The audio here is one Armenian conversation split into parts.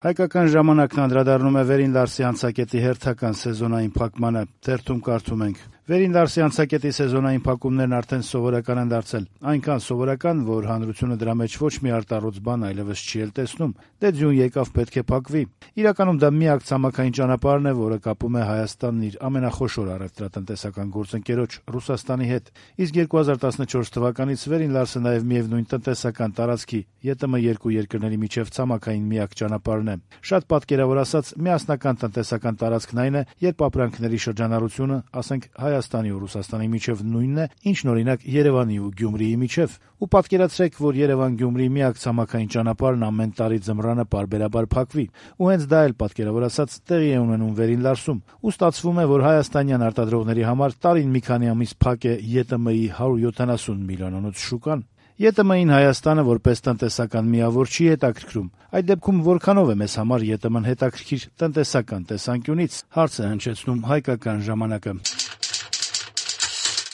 Հայկական ժամանակն անդրադառնում է Վերին Լարսի անցակետի հերթական սեզոնային փակմանը։ Թերթում կարդում ենք. Վերին Լարսի անցակետի սեզոնային փակումներն արդեն սովորական են դարձել։ Այնքան սովորական, որ հանրությունը դրա մեջ ոչ մի արտառոց բան այլևս չի էլ տեսնում։ Դե ձյուն եկավ, պետք է փակվի։ Իրականում դա միակ ցամաքային ճանապարհն է, որը կապում է Հայաստանն իր ամենախոշոր առևտրատնտեսական գործընկերոջ Ռուսաստանի հետ։ Իսկ 2014 թվականից Վերին Լարսը նաև միևնույն տնտեսական տարածքի ԵՏՄ2 երկրների միջև ցամաքային միակ ճանապարհն է։ Շատ պատկերավոր ասած, միասնական տնտեսական տարածքն այն է, երբ ապրանքների շրջանառությունը, ասենք Հայաստանի ու Ռուսաստանի միջև նույնն է, ինչն օրինակ Երևանի ու Գյումրիի միջև։ Ու պատկերացրեք, որ Երևան-Գյումրի միակ ցամաքային ճանապարհն ամեն տարի ձմռանը պարբերաբար փակվի։ Ու հենց դա էլ պատկերավոր ասած տեղի է ունենում Վերին Լարսում։ Ու ստացվում է, որ հայաստանյան արտադրողների համար տարին մի քանի ամիս փակ է ԵՏՄ-ի 170 միլիոնանոց շուկան։ ԵՏՄ-ին Հայաստանը որպես տնտեսական միավոր չի հետաքրքրում։ Այդ դեպքում որքանով է մեզ համար ԵՏՄ-ն հետաքրքիր տնտեսական տեսանկյունից, հարց է հնչեցնում Հայկական ժամանակը։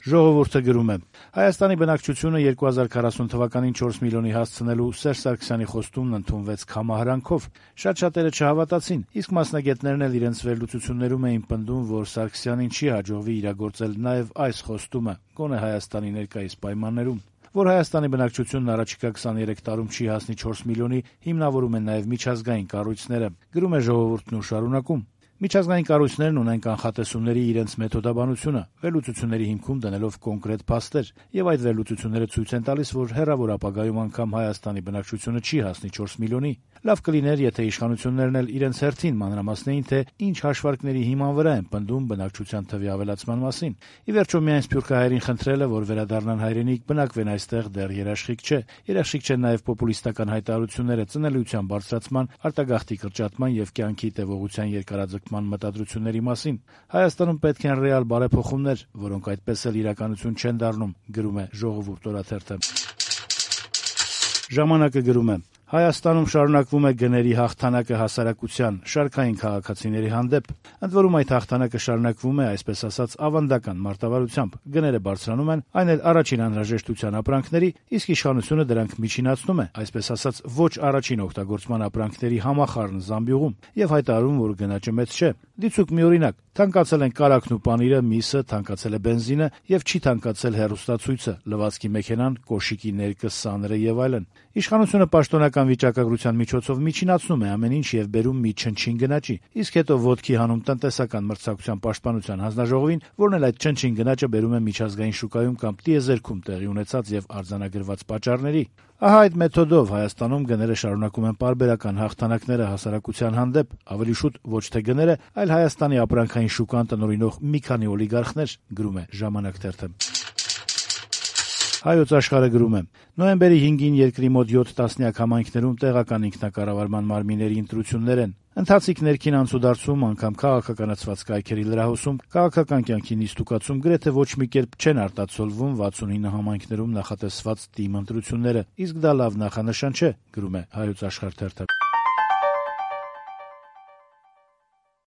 Ժողովուրդը գրում է. Հայաստանի բնակչությունը 2040 թվականին 4 միլիոնի հասցնելու Սերժ Սարգսյանի խոստումն ընդունվեց քամահարանքով։ Շատ-շատերը չհավատացին, իսկ մասնագետներն էլ իրենց վերլուծություններում էին պնդում, որ Սարգսյանին չի հաջողվի իրագործել նաև այս խոստումը, գոնե Հայաստանի ներկայիս պայմաններում։ Որ Հայաստանի բնակչությունն առաջիկա 23 տարում չի հասնի 4 միլիոնի, հիմնավորում են նաև միջազգային կառույցները, գրում է Ժողովուրդն ու շարունակում. Միջազգային կառույցներն ունեն կանխատեսումների իրենց մեթոդաբանությունը, վերլուծությունների հիմքում դնելով կոնկրետ փաստեր, եւ այդ վերլուծությունները ցույց են տալիս, որ հեռավոր ապագայում անգամ Հայաստանի բնակչությունը չի հասնի 4 միլիոնի։ Լավ կլիներ, եթե իշխանություններն էլ իրենց հերթին մանրամասնեին, թե ինչ հաշվարկների հիման վրա են պնդում բնակչության թվի ավելացման մասին։ Ի վերջո միայն սփյուռքահայերին խնդրելը, որ վերադառնան հայրենիք, բնակվեն այստեղ, դեռ երաշխիք չէ։ Երաշխիք չեն նաև պոպուլիստական հայտարարությունները ծնելիության բարձրացման, արտագաղթի կրճատման եւ կյանքի տևողության երկարաձգման մտադրությունների մասին։ Հայաստանում պետք են ռեալ բարեփոխումներ, որոնք այդպես էլ իրականություն չեն դառնում, գրում է Ժողովուրդ օրաթերթը։ Ժամանակը գրում է. Հայաստանում շարունակվում է գների հաղթանակը հասարակության, շարքային քաղաքացիների հանդեպ։ Ընդ որում այդ հաղթանակը շարունակվում է, այսպես ասած, ավանդական մարտավարությամբ։ Գները բարձրանում են, այն էլ առաջին անհրաժեշտության ապրանքների, իսկ իշխանությունը դրանք միջինացնում է, այսպես ասած, ոչ առաջին օգտագործման ապրանքների համախառն զամբյուղում եւ հայտարարում, որ գնաճը մեծ չէ։ Դիցուկ մի օրինակ. թանկացել են կարագն ու պանիրը, միսը, թանկացել է բենզինը եւ չի թանկացել հեռուստացույցը, լվացքի մեքենան, կոշիկի ներկը, սաները եւ այլն։ Իշխանությունը պաշտոնական վիճակագրության միջոցով միջինացնում է ամեն ինչ եւ բերում մի չնչին գնաճի, իսկ հետո ոտքի հանում տնտեսական մրցակցության պաշտպանության հանձնաժողովին, որն էլ այդ չնչին գնաճը բերում է միջազգային շուկայում կամ տիեզերքում տեղի ունեցած եւ արձանագրված պատճառների։ Ահա այդ մեթոդով Հայաստանում գները շարունակում են պարբերական հաղթանակները հասարակության հանդեպ, ավելի շուտ ոչ թե գները, այլ Հայաստանի ապրանքային շուկան տնօրինող մի քանի օլիգարխներ, գրում է Ժամանակ թերթը։ Հայոց աշխարհը գրում է. նոյեմբերի 5-ին երկրի մոտ 7 տասնյակ համայնքներում տեղական ինքնակառավարման մարմինների ընտրություններ են։ Ընթացիկ ներքին անցուդարձում, անգամ քաղաքականացված կայքերի լրահոսում, քաղաքական կյանքի նիստուկացում գրեթե ոչ մի կերպ չեն արտացոլվում 69 համայնքներում նախատեսված թիմ ընտրությունները, իսկ դա լավ նախանշան չէ, գրում է Հայոց աշխարհ թերթը։